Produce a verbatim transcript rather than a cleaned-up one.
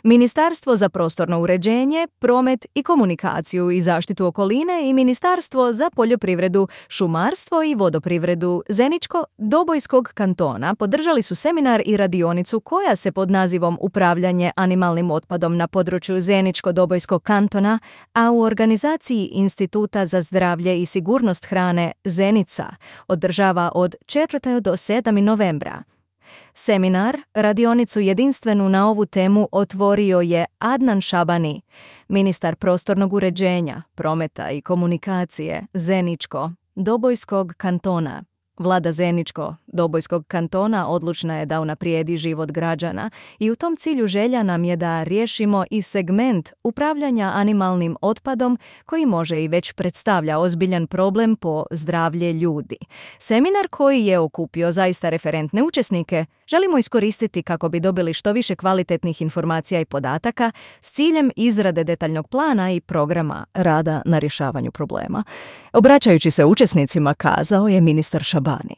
Ministarstvo za prostorno uređenje, promet i komunikaciju i zaštitu okoline i Ministarstvo za poljoprivredu, šumarstvo i vodoprivredu Zeničko-Dobojskog kantona podržali su seminar i radionicu koja se pod nazivom Upravljanje animalnim otpadom na području Zeničko-Dobojskog kantona, a u organizaciji Instituta za zdravlje i sigurnost hrane Zenica održava od četvrtog do sedmog novembra. Seminar, radionicu jedinstvenu na ovu temu, otvorio je Adnan Šabani, ministar prostornog uređenja, prometa i komunikacije Zeničko-Dobojskog kantona. Vlada Zeničko-Dobojskog kantona odlučna je da unaprijedi život građana i u tom cilju želja nam je da riješimo i segment upravljanja animalnim otpadom koji može i već predstavlja ozbiljan problem po zdravlje ljudi. Seminar koji je okupio zaista referentne učesnike želimo iskoristiti kako bi dobili što više kvalitetnih informacija i podataka s ciljem izrade detaljnog plana i programa rada na rješavanju problema. Obraćajući se učesnicima kazao je ministar Šabani: